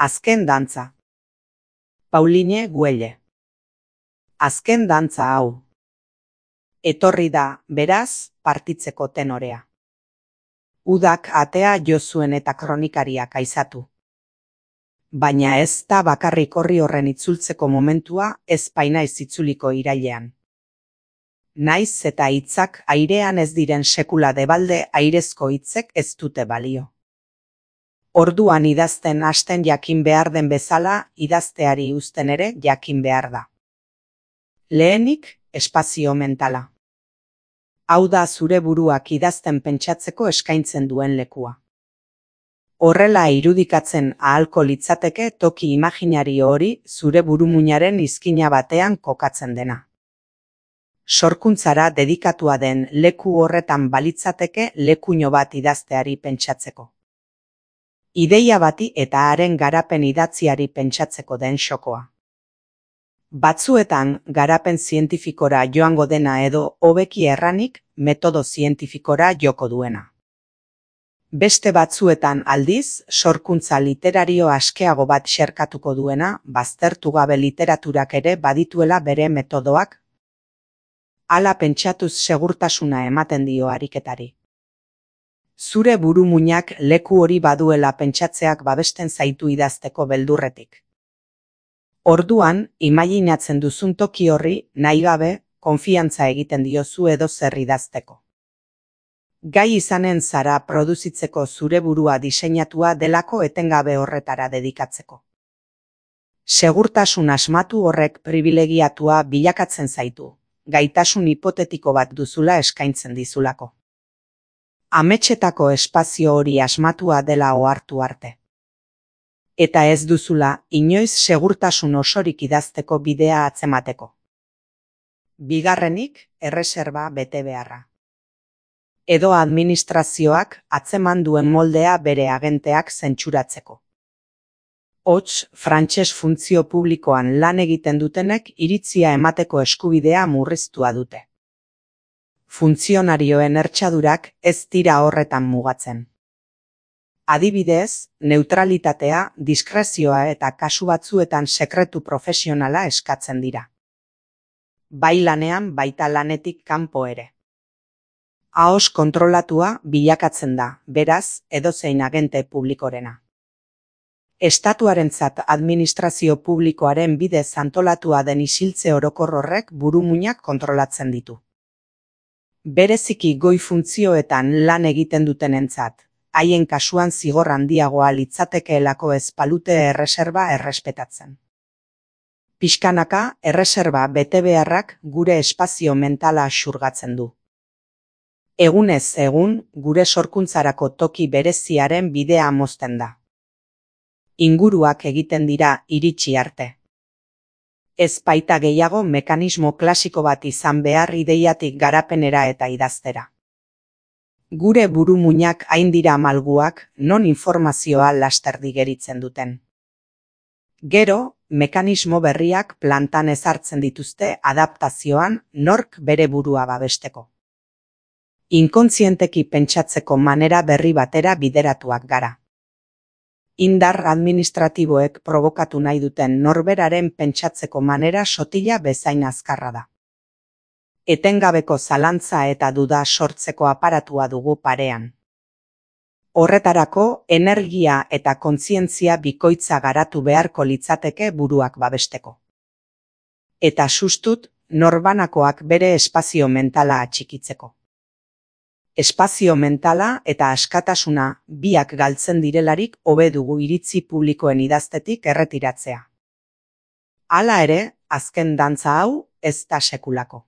Azken dantza. Pauline Güelle. Azken dantza hau. Etorri da, beraz, partitzeko tenorea. Udak atea jo zuen eta kronikariak aizatu. Baina ez da bakarrik horri horren itzultzeko momentua, ez painaiz itzuliko irailean. Naiz eta hitzak airean ez diren sekula debalde airezko hitzek ez dute balio. Orduan idazten hasten jakin behar den bezala, idazteari uzten ere jakin behar da. Lehenik, espazio mentala. Hau da zure buruak idazten pentsatzeko eskaintzen duen lekua. Horrela irudikatzen ahalko litzateke toki imaginario hori zure burumuinaren izkina batean kokatzen dena. Sorkuntzara dedikatua den leku horretan balitzateke lekuino bat idazteari pentsatzeko. Ideia bati eta haren garapen idatziari pentsatzeko den xokoa. Batzuetan garapen zientifikora joango dena edo hobeki erranik metodo zientifikora joko duena. Beste batzuetan aldiz, sorkuntza literario askeago bat xerkatuko duena, baztertu gabe literaturak ere badituela bere metodoak. Hala pentsatuz segurtasuna ematen dio ariketari. Zure burumuinak leku hori baduela pentsatzeak babesten zaitu idazteko beldurretik. Orduan, imaginatzen duzun toki horri, nahi gabe, konfiantza egiten diozu edo zer idazteko. Gai izanen zara produzitzeko zure burua diseinatua delako etengabe horretara dedikatzeko. Segurtasun asmatu horrek pribilegiatua bilakatzen zaitu, gaitasun hipotetiko bat duzula eskaintzen dizulako. Ametsetako espazio hori asmatua dela ohartu arte. Eta ez duzula inoiz segurtasun osorik idazteko bidea atzemateko. Bigarrenik, erreserba bete beharra. Edo administrazioak atzeman duen moldea bere agenteak zentsuratzeko. Hots, frantses funtzio publikoan lan egiten dutenek iritzia emateko eskubidea murriztua dute. Funtzionarioen ertsadurak ez dira horretan mugatzen. Adibidez, neutralitatea, diskrezioa eta kasu batzuetan sekretu profesionala eskatzen dira. Bai lanean baita lanetik kanpo ere. Ahoz kontrolatua bilakatzen da, beraz, edozein agente publikorena. Estatuarentzat administrazio publikoaren bidez antolatua den isiltze orokor horrek burumuinak kontrolatzen ditu. Bereziki goi funtzioetan lan egiten dutenentzat, haien kasuan zigor handiagoa litzatekeelako ez balute erreserba errespetatzen. Pixkanaka, erreserba betebeharrak gure espazio mentala xurgatzen du. Egunez egun, gure sorkuntzarako toki bereziaren bidea mozten da. Inguruak egiten dira iritsi arte. Ez baita gehiago mekanismo klasiko bat izan behar ideiatik garapenera eta idaztera. Gure burumuinak hain dira malguak, non informazioa laster digeritzen duten. Gero, mekanismo berriak plantan ezartzen dituzte adaptazioan nork bere burua babesteko. Inkontzienteki pentsatzeko manera berri batera bideratuak gara. Indar administratiboek probokatu nahi duten norberaren pentsatzeko manera sotila bezain azkarra da. Etengabeko zalantza eta duda sortzeko aparatua dugu parean. Horretarako, energia eta kontzientzia bikoitza garatu beharko litzateke buruak babesteko. Eta sustut, norbanakoak bere espazio mentala atxikitzeko. Espazio mentala eta askatasuna biak galtzen direlarik hobe dugu iritzi publikoen idaztetik erretiratzea. Hala ere, azken dantza hau ez da sekulako.